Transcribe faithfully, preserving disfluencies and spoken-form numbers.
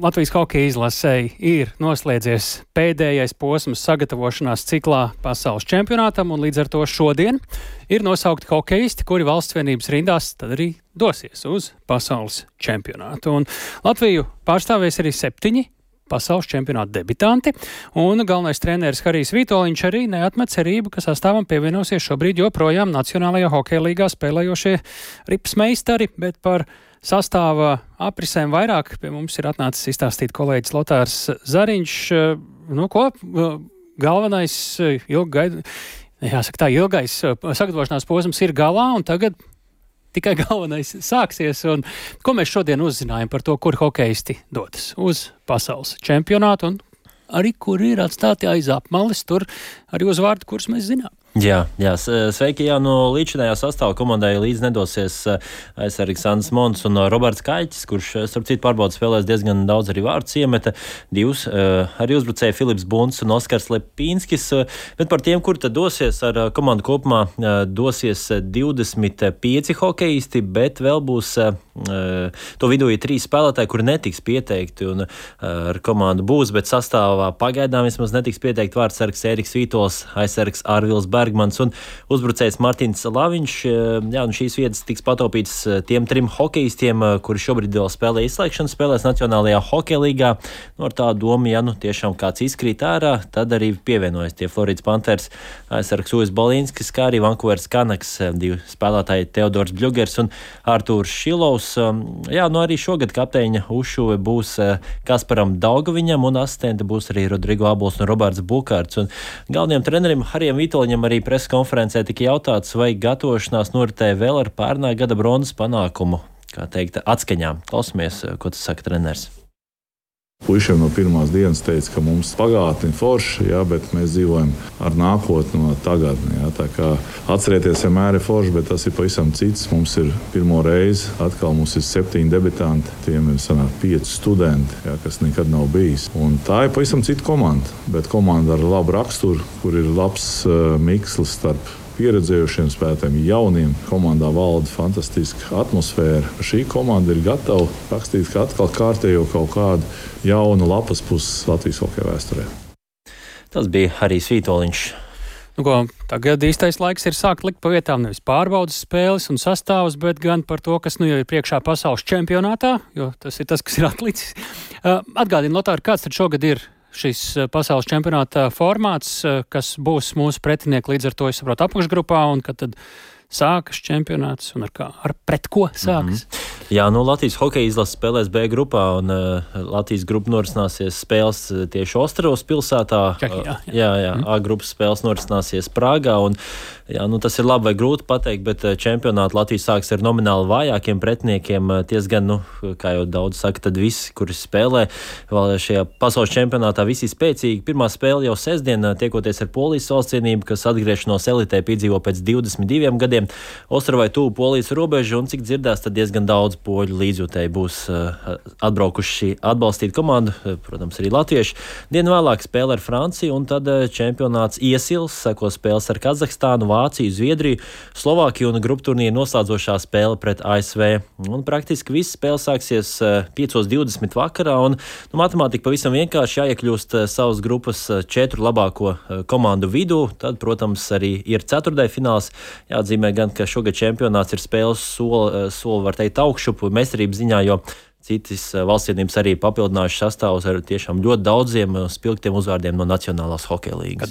Latvijas hokeja izlasei ir noslēdzies pēdējais posms sagatavošanās ciklā pasaules čempionātam, un līdz ar to šodien ir nosaukti hokeisti, kuri valsts vienības rindās tad arī dosies uz pasaules čempionātu. Un Latviju pārstāvēs arī septiņi pasaules čempionāta debitanti, un galvenais treneris Harijs Vitoļņš arī neatmet cerību, ka sastāvam pievienosies šobrīd joprojām Nacionālajā hokeja līgā spēlējošie rips meistari, bet par sastāva aprisēm vairāk pie mums ir atnācis izstāstīt kolēģis Lotārs Zariņš. Nu ko, galvenais ilgai, jāsaka tā, ilgais sagatavošanās posms ir galā, un tagad tikai galvenais sāksies, un ko mēs šodien uzzinājām par to, kur hokeisti dodas uz pasaules čempionātu, un arī kur ir atstāti aiz apmales, tur arī uzvārdi, kurus mēs zinām. Jā, jā, sveiki, jā, no līdzinājā sastāva komandai līdz nedosies aizsargs Andris Mons un Roberts Kaļķis, kurš, starp citu, pārbaudas spēlēs diezgan daudz arī vārdus iemeta, divus, arī uzbrucēji Filips Bunts un Oskars Lepīnskis, bet par tiem, kur tad dosies ar komandu kopumā, dosies divdesmit pieci hokeisti, bet vēl būs to vidū ir trīs spēlētāji, kuri netiks pieteikti un ar komandu būs, bet sastāvā pagaidām vismaz netiks pieteikti vārdsargs Ēriks Vītols, aizsargs Arvils Bergmans un uzbrucējs Martins Laviņš. Jā, un šīs vietas tiks pataupītas tiem trim hokeistiem, kuri šobrīd vēl spēlē izslēgšanas spēlēs Nacionālajā hokeja līgā. Nu, ar tā domu, ja nu tiešām kāds izkrīt ārā, tad arī pievienojas tie Floridas Panthers aizsargs Uvis Balīnskis, kā arī Vankūveras Canucks divi spēlētāji Teodors Bļugers un Artūrs Šilovs. Jā, nu arī šogad kapteiņa uzšuve būs Kasparam Daugaviņam un asistenti būs arī Rodrigo Abols un Roberts Bukārts. Un galvenajam trenerim Harijam Vitoļņam arī preses konferencē tika jautāts, vai gatavošanās noritēja vēl ar pērnā gada bronzas panākumu, kā teikt, atskaņām. Klausamies, ko tas saka treneris. Puišiem no pirmās dienas teica, ka mums pagātni forši, jā, bet mēs dzīvojam ar nākotni no tagadni. Jā, tā kā atcerieties, vienmēr ir forši, bet tas ir pavisam cits. Mums ir pirmo reizi, atkal mums ir septiņi debitanti, tiem ir sanāk pieci studenti, jā, kas nekad nav bijis. Un tā ir pavisam cita komanda, bet komanda ar labu raksturu, kur ir labs uh, mikslis starp pieredzējušiem spēlētājiem, jauniem. Komandā valda fantastiska atmosfēra. Šī komanda ir gatava rakstīt atkal kārtējo kaut kādu jaunu lapas puses Latvijas hokeja vēsturē. Tas bija Harijs Vitoļņš. Nu ko, tagad īstais laiks ir sākt likt pa vietām nevis pārbaudas spēles un sastāvus, bet gan par to, kas nu jau ir priekšā pasaules čempionātā, jo tas ir tas, kas ir atlicis. Atgādini, Lotāri, kāds tad šogad ir šis pasaules čempionāta formāts, kas būs mūsu pretinieki līdz ar to, es saprotu, apakšgrupā, un kad tad sākas čempionāts un ar kā, ar pret ko sākas? Mm-hmm. Jā, nu Latvijas hokeja izlase spēlēs B grupā, un uh, Latvijas grupa norisināsies spēles tieši Ostravas pilsētā. Čehijā, jā. Jā, jā, mm. A grupas spēles norisināsies Prāgā, un jā, nu tas ir labi vai grūti pateikt, bet čempionātu Latvijas sāks ar nomināli vājākiem pretiniekiem. Ties gan, nu, kā jau daudz saka, tad visi, kuri spēlē vēl šajā pasaules čempionātā, visi ir spēcīgi. Pirmā spēle jau sestdien, tiekoties ar Polijas valstsienību, kas atgriešanos elitē piedzīvo pēc divdesmit diviem gadiem. Ostravai tuvu Polijas robežu, un cik dzirdās, tad diezgan daudz poļu līdzjūtēji būs uh, atbraukuši atbalstīt komandu, uh, protams, arī latvieši. Dienu vēlāk spēle ar Franciju, un tad uh, čempionāts iesils, seko spēles ar Kazahstānu, Vāciju, Zviedriju, Slovākiju un grupu turnīru noslēdzošā spēle pret A S V. Un praktiski viss spēle sāksies uh, piecos divdesmit vakarā, un nu, matemātika pavisam vienkārši jāiekļūst uh, savas grupas uh, četru labāko uh, komandu vidū. Tad, protams, arī ir ceturtdaļfināls. Jāatzīmē gan, ka šogad čempionāts ir spēles soli, uh, soli var teikt, augšup mestarības ziņā, jo citas valstsienības arī papildinājuši sastāvus ar tiešām ļoti daudziem spilgtiem uzvārdiem no Nacionālās hokeja līgas.